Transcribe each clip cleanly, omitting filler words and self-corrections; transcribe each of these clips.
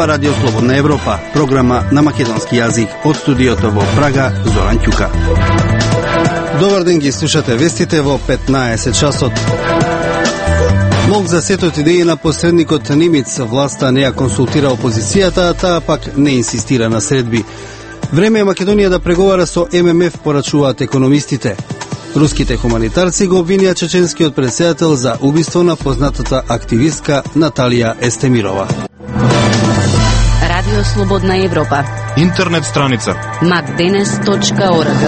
Ова Радио Слободна Европа, програма на македонски јазик од студиото во Прага, Зоран Ќука. Добар ден, ги слушате вестите во 15 часот. Мог за сетот идеи на посредникот Нимиц, власта не ја консултира опозицијата, а таа пак не инсистира на средби. Време е Македонија да преговара со ММФ, порачуваат економистите. Руските хуманитарци го обвинија чеченскиот претседател за убиство на познатата активистка Наталија Естемирова. Радио Слободна Европа. Интернет страница macdenes.org.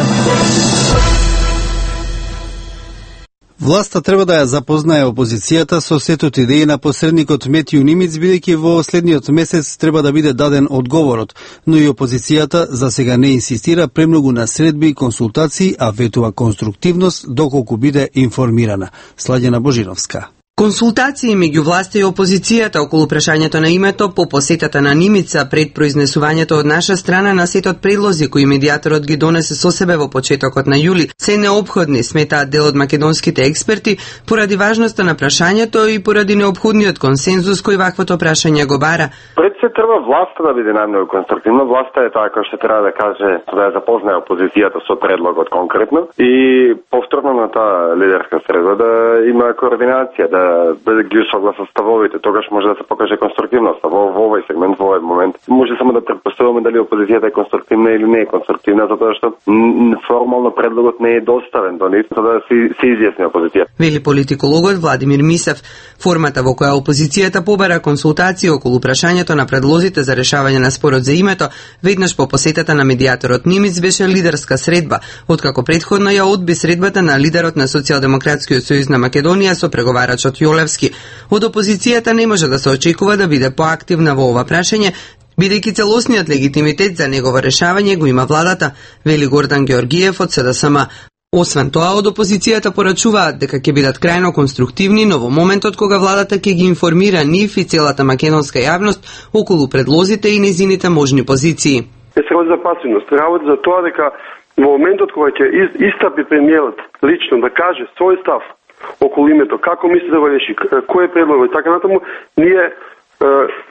Власта треба да ја запознае опозицијата со сетот идеи на посредникот Метју Нимиц, бидејќи во следниот месец треба да биде даден одговорот, но и опозицијата за сега не инсистира премногу на средби и консултации, а ветува конструктивност доколку биде информирана. Сладјана Божиновска. Консултации меѓу власта и опозицијата околу прашањето на името по посетата на Нимица пред произнесувањето од наша страна на сетот предлози кои медијаторот ги донесе со себе во почетокот на јули се неопходни, сметаат дел од македонските експерти, поради важноста на прашањето и поради неопходниот консензус кој ваквото прашање го бара. Пред се треба власта да биде најмногу конструктивна. Власта е таа која што треба да каже, да ја запознае опозицијата со предлогот конкретно и повторно на таа лидерска средба да има координација, да ги согласа ставовите, тогаш може да се покаже конструктивност. Во овој сегмент, во овој момент, може само да претпоставуваме дали опозицијата е конструктивна или не е конструктивна, затоа што формално предлогот не е доставен до нив, за да се изјасни опозицијата. Вели политикологот Владимир Мисев. Формата во која опозицијата побара консултации околу прашањето на предлозите за решавање на спорот за името, веднаш по посетата на медијаторот Нимиц беше лидерска средба, откако претходно ја одби средбата на лидерот на Социјалдемократскиот сојуз на Македонија со преговарачот Јолевски. Од опозицијата не може да се очекува да биде поактивна во ова прашање, бидејќи целосниот легитимитет за негово решавање го има владата, вели Гордан Георгиев од СДСМ. Освен тоа, од опозицијата порачуваат дека ќе бидат крајно конструктивни, но во моментот кога владата ќе ги информира нив и целата македонска јавност околу предлозите и незините можни позиции. Се работи за пасивност, работи за тоа дека во моментот кога ќе истапи премиерот лично да каже свој став околу името, како мисли да го реши, кој е предлогот и така натаму, ние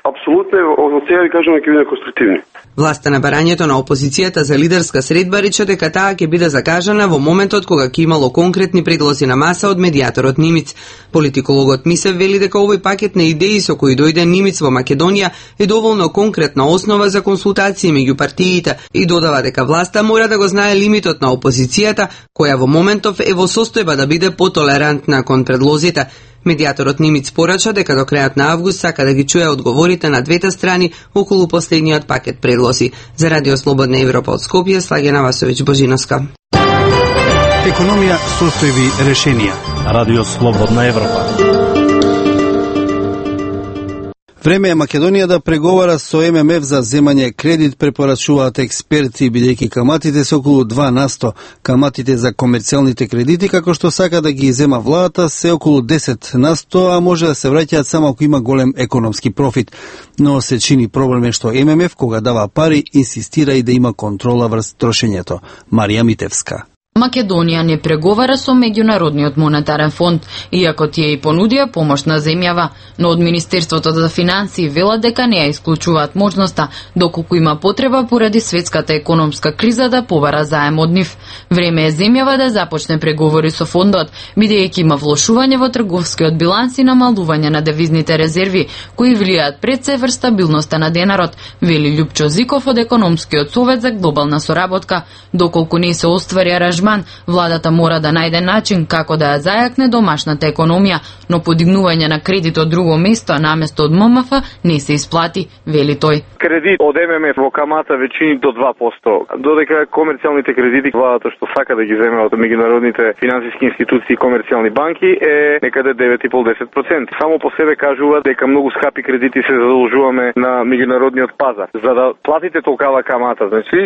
апсолутно од сега ви кажуваме ќе биде конструктивни. Власта на барањето на опозицијата за лидерска средба рече дека таа ќе биде закажана во моментот кога ќе имало конкретни предлози на маса од медијаторот Нимиц. Политикологот Мисев вели дека овој пакет на идеи со кои дојде Нимиц во Македонија е доволно конкретна основа за консултации меѓу партиите и додава дека власта мора да го знае лимитот на опозицијата, која во моментов е во состојба да биде потолерантна кон предлозите. Медијаторот Нимиц порача дека до крајот на август сака да ги чуе одговорите на двете страни околу последниот пакет предлози. За Радио Слободна Европа од Скопје, Слагена Васовиќ Божиновска. Економија, состојби, решенија. Радио Слободна Европа. Време е Македонија да преговара со ММФ за земање кредит, препорачуваат експерти, бидејќи каматите се околу 2%. Каматите за комерцијалните кредити, како што сака да ги зема владата, се околу 10%, а може да се враќаат само ако има голем економски профит. Но се чини проблем е што ММФ, кога дава пари, инсистира и да има контрола врз трошењето. Марија Митевска. Македонија не преговара со Меѓународниот монетарен фонд, иако тие и понудија помош на земјава, но од Министерството за финансии велат дека не ја исклучуваат можноста, доколку има потреба поради светската економска криза да побара заем од нив. Време е земјава да започне преговори со фондот, бидејќи има влошување во трговскиот биланс и намалување на девизните резерви, кои влијаат пред се врз стабилноста на денарот, вели Љупчо Зиков од Економскиот совет за глобална соработка. Доколку не се оствари аранжман, владата мора да најде начин како да ја зајакне домашната економија, но подигнување на кредит од друго место наместо од ММФ не се исплати, вели тој. Кредит од ММФ во камата веќини до 2%, додека комерцијалните кредити владата што сака да ги земе од меѓународните финансиски институции и комерцијални банки е некаде 9,5-10%. Само по себе кажува дека многу скапи кредити се задолжуваме на меѓународниот пазар. За да платите толкава камата, значи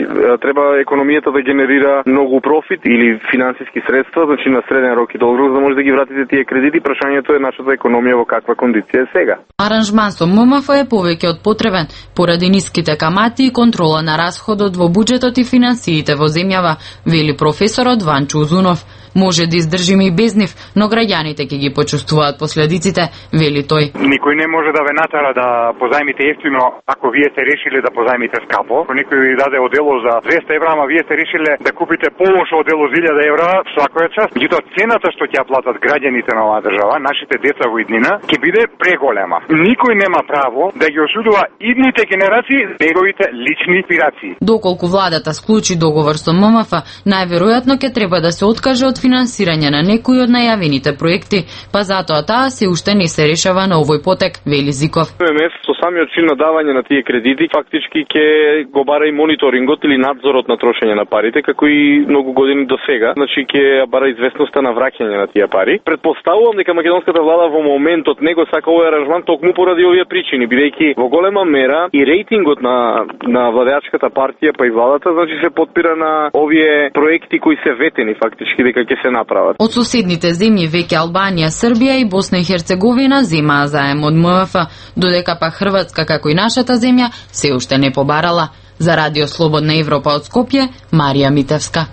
треба економијата да генерира многу профит или финансиски средства, значи на среден рок и долг рок, за да може да ги вратите тие кредити. Прашањето е нашата економија во каква кондиција е сега. Аранжман со ММФ е повеќе од потребен, поради ниските камати и контрола на расходот во буџетот и финансиите во земјава, вели професорот Ванчо Узунов. Може да издржиме и без нив, но граѓаните ќе ги почувствуваат последиците, вели тој. Никој не може да ве натера да позајмите ефтино ако вие сте решили да позајмите скапо. Ако никој ви даде одело за 200 евра, ама вие сте решиле да купите полошо одело за 1000 евра, свакоја част. Меѓутоа цената што ќе платат граѓаните на оваа држава, нашите деца во иднина, ќе биде преголема. Никој нема право да ги осудува идните генерации неговите лични инспирации. Доколку владата склучи договор со ММФ, најверојатно ќе треба да се откаже од финансирање на некои од најавените проекти, па затоа таа се уште не се решава на овој потек, вели Зиков. ММФ со самиот чин на давање на тие кредити фактички ќе го бара и мониторингот или надзорот на трошење на парите, како и многу години до сега, значи ќе бара известноста на враќање на тие пари. Предпоставувам дека македонската влада во моментот него сака овој аранжман токму поради овие причини, бидејќи во голема мера и рейтингот на владеачката партија па и владата, значи се подпира на овие проекти кои се ветени фактички дека ќе се направат. Од соседните земји веќе Албанија, Србија и Босна и Херцеговина земаа заем од ММФ, додека па Хрватска како и нашата земја се уште не побарала. За Радио Слободна Европа од Скопје, Марија Митевска.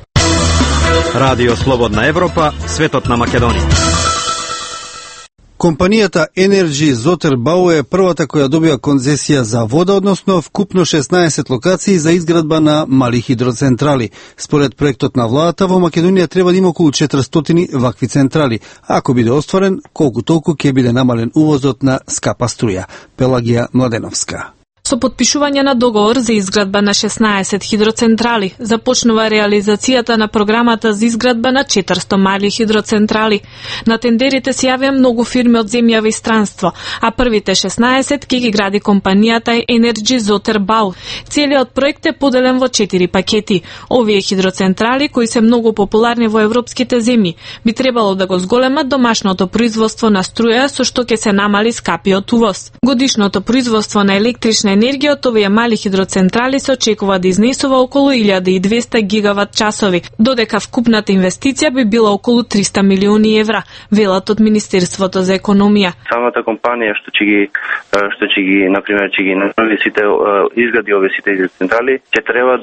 Радио Слободна Европа, светот на Македонија. Компанијата Energy Zoterbau е првата која добива концесија за вода, односно вкупно 16 локации за изградба на мали хидроцентрали. Според проектот на владата, во Македонија треба да има околу 400 вакви централи. Ако биде остварен, колку толку ќе биде намален увозот на скапа струја. Пелагија Младеновска. Со подпишување на договор за изградба на 16 хидроцентрали, започнува реализацијата на програмата за изградба на 400 мали хидроцентрали. На тендерите се јавија многу фирми од земјава и странство, а првите 16 ќе ги гради компанијата Energy Zoterbau. Целиот проект е поделен во 4 пакети. Овие хидроцентрали, кои се многу популарни во европските земји, би требало да го зголемат домашното производство на струја, со што ќе се намали скапиот увоз. Годишното производство на електрична енергија од овие мали хидроцентрали се очекува да изнесува околу 1200 гигават часови, додека вкупната инвестиција би била околу 300 милиони евра, велат од Министерството за економија. Самата компанија што ќе ги например ќе ги направи сите изгради овие сите хидроцентрали, ќе треба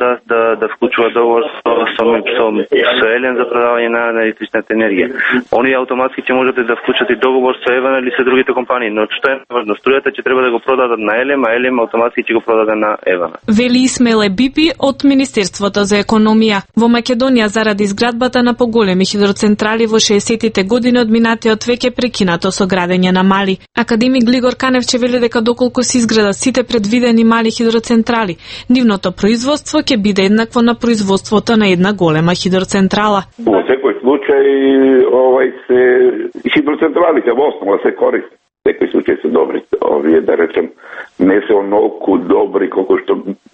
да вклучува договор со Елен за продавање на електричната енергија. Они автоматски ќе можат да вклучат и договор со Еван или со другите компании, но што е важно, струјата ќе треба да го продадат на Елем, а Елем автоматски ќе го продаде на Евана. Вели Исмеле Бипи од Министерството за економија. Во Македонија заради изградбата на поголеми хидроцентрали во 60-тите години од минатиот век е прекинато со градење на мали. Академик Глигор Каневче вели дека доколку се изградат сите предвидени мали хидроцентрали, нивното производство ќе биде еднакво на производството на една голема хидроцентрала. Во секој случај хидроцентралите во основа се користат. Секој случај се добри. Овие, да речем, не се онолку добри колку што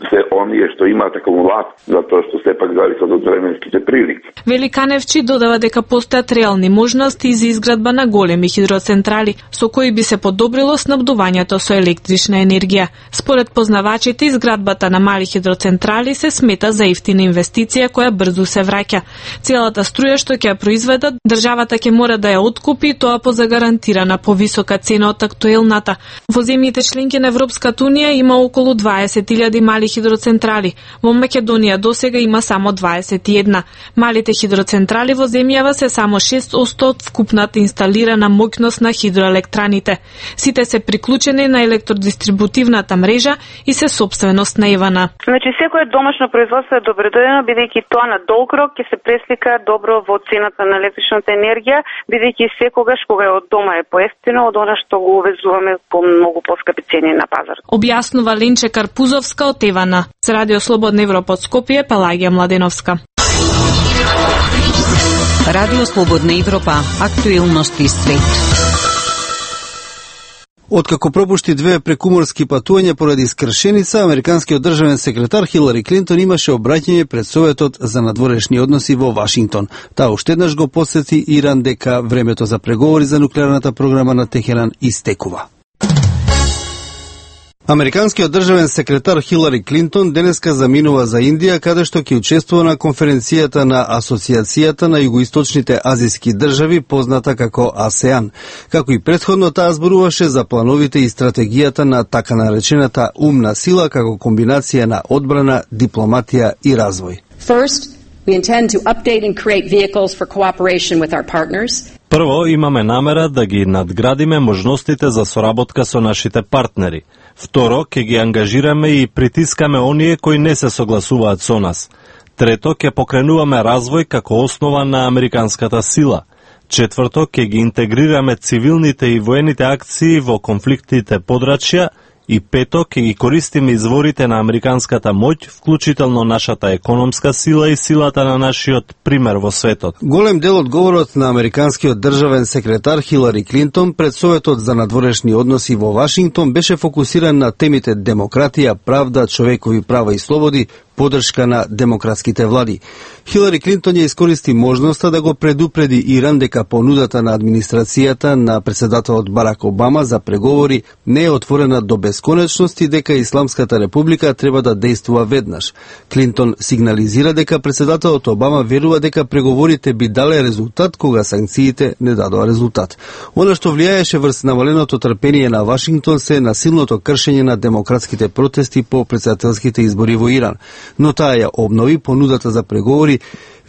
се оние што имаат акумулат, затоа што сепак зависат од временските прилики. Вели Каневчи додава дека постојат реални можности за изградба на големи хидроцентрали, со кои би се подобрило снабдувањето со електрична енергија. Според познавачите, изградбата на мали хидроцентрали се смета за ефтина инвестиција која брзо се враќа. Целата струја што ќе ја произведат, државата ќе мора да ја откупи, тоа по загарантирана повисока цена од актуелната. Во земјите членки на Европската Унија има околу 20.000 мали хидроцентрали. Во Македонија досега има само 21. Малите хидроцентрали во земјава се само 6% од вкупната инсталирана моќност на хидроелектраните. Сите се приклучени на електродистрибутивната мрежа и се собственост на Евана. Значи секое домашно производство е добредојдено, бидејќи тоа на долг рок ќе се преслика добро во цената на електричната енергија, бидејќи секогаш кога е од дома е поевтино од она што го увезуваме по многу поскапи цени на пазар. Објаснува Ленче Карпузовска од Евана. За Радио Слободна Европа од Скопје, Пелагија Младеновска. Радио Слободна Европа, актуелности свет. Откако пропушти 2 прекуморски патувања поради скршеница, американскиот државен секретар Хилари Клинтон имаше обраќање пред Советот за надворешни односи во Вашингтон. Таа уште еднаш го потсети Иран дека времето за преговори за нуклеарната програма на Техеран истекува. Американскиот државен секретар Хилари Клинтон денеска заминува за Индија, каде што ќе учествува на конференцијата на Асоциацијата на југоисточните азиски држави, позната како АСЕАН. Како и претходно, таа зборуваше за плановите и стратегијата на така наречената умна сила како комбинација на одбрана, дипломатија и развој. First, We intend to update and create vehicles for cooperation with our partners. Прво, имаме намера да ги надградиме можностите за соработка со нашите партнери. Второ, ќе ги ангажираме и притискаме оние кои не се согласуваат со нас. Трето, ќе покренуваме развој како основа на американската сила. Четврто, ќе ги интегрираме цивилните и воените акции во конфликтите подрачја. И пето, ќе ги користиме изворите на американската моќ, вклучително нашата економска сила и силата на нашиот пример во светот. Голем дел од говорот на американскиот државен секретар Хилари Клинтон пред Советот за надворешни односи во Вашингтон беше фокусиран на темите демократија, правда, човекови права и слободи, поддршка на демократските влади. Хилари Клинтон ја искористи можноста да го предупреди Иран дека понудата на администрацијата на председателот Барак Обама за преговори не е отворена до бесконечност и дека Исламската република треба да действува веднаш. Клинтон сигнализира дека председателот Обама верува дека преговорите би дале резултат кога санкциите не дадоа резултат. Она што влијаеше врз намаленото трпение на Вашингтон се насилното кршење на демократските протести по председателските избори во Иран. Но таа ја обнови понудата за преговори,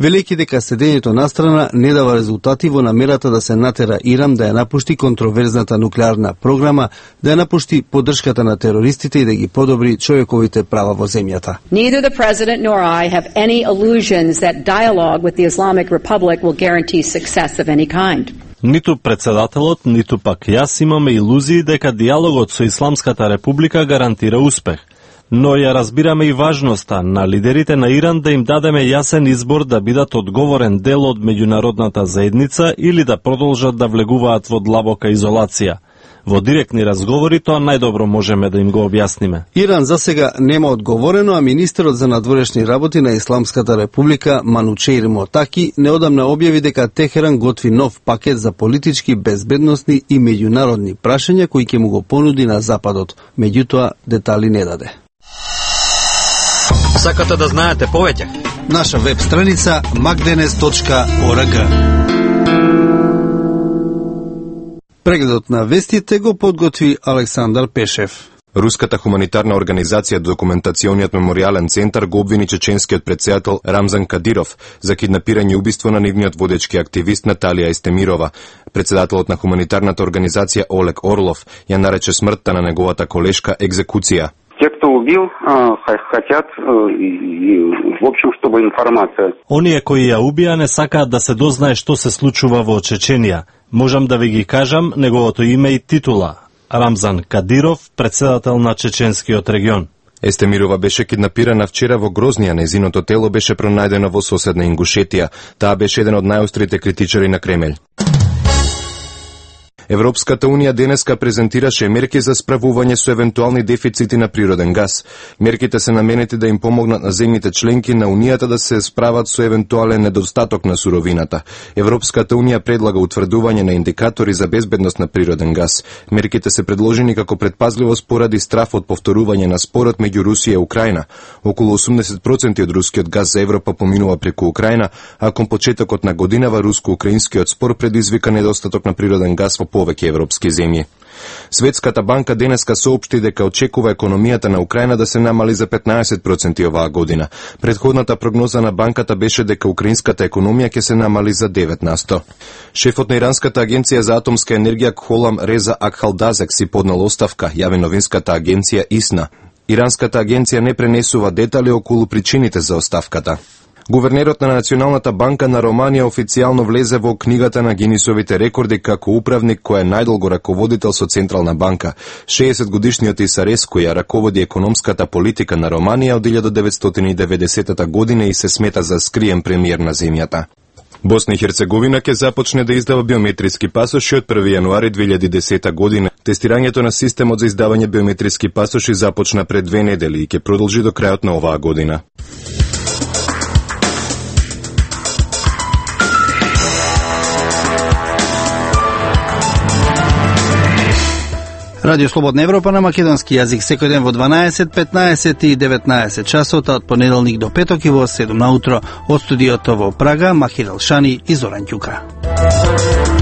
велејќи дека седењето настрана не дава резултати во намерата да се натера Иран да ја напушти контроверзната нуклеарна програма, да ја напушти поддршката на терористите и да ги подобри човековите права во земјата. Neither the president nor I have any illusions that dialogue with the Islamic Republic will guarantee success of any kind. Ниту председателот, ниту пак јас имаме илузии дека диалогот со Исламската република гарантира успех. Но ја разбираме и важноста на лидерите на Иран да им дадеме јасен избор да бидат одговорен дел од меѓународната заедница или да продолжат да влегуваат во длабока изолација. Во директни разговори тоа најдобро можеме да им го објасниме. Иран засега нема одговорено, а министерот за надворешни работи на Исламската република Манучеир Мотаки неодамна објави дека Техеран готви нов пакет за политички, безбедносни и меѓународни прашања кои ќе му го понуди на Западот. Меѓутоа, детали не даде. Сакате да знаете повеќе? Наша веб страница magdenes.org. Прегледот на вестите го подготви Александар Пешев. Руската хуманитарна организација Документациониот меморијален центар го обвини чеченскиот претседател Рамзан Кадиров за киднапирање и убиство на нивниот водечки активист Наталија Естемирова. Председателот на хуманитарната организација Олег Орлов ја нарече смртта на неговата колешка екзекуција. Те, кто убил, хотят, в общем, чтобы информация. Оние кои ја убија не сакаат да се дознае што се случува во Чеченија. Можам да ви ги кажам неговото име и титула. Рамзан Кадиров, председател на чеченскиот регион. Естемирова беше киднапирана вчера во Грознија, незиното тело беше пронајдено во соседна Ингушетија. Таа беше еден од најострите критичари на Кремљ. Европската Унија денеска презентираше мерки за справување со евентуални дефицити на природен газ. Мерките се наменети да им помогнат на земјите членки на Унијата да се справат со евентуален недостаток на суровината. Европската Унија предлага утврдување на индикатори за безбедност на природен газ. Мерките се предложени како предпазливост поради страф од повторување на спорот меѓу Русија и Украина. Околу 80% од рускиот газ за Европа поминува преку Украина, а кон почетокот на годинава руско-украинскиот спор предизвика недостаток на природен газ во повеќе европски земји. Светската банка денеска соопшти дека очекува економијата на Украина да се намали за 15% оваа година. Предходната прогноза на банката беше дека украинската економија ќе се намали за 9%. Шефот на иранската агенција за атомска енергија Кхолам Реза Акхалдазек си поднел оставка, јави новинската агенција ИСНА. Иранската агенција не пренесува детали околу причините за оставката. Гувернерот на Националната банка на Романија официјално влезе во книгата на Гинисовите рекорди како управник кој е најдолго раководител со Централна банка. 60-годишниот Исареску ја раководи економската политика на Романија од 1990 година и се смета за скриен премиер на земјата. Босна и Херцеговина ќе започне да издава биометриски пасоши од 1 јануари 2010 година. Тестирањето на системот за издавање биометриски пасоши започна пред 2 недели и ќе продолжи до крајот на оваа година. Радио Слободна Европа на македонски јазик секој ден во 12, 15 и 19 часот од понеделник до петок и во 7 наутро од студиото во Прага Махир Алшани и Зоран Ќука.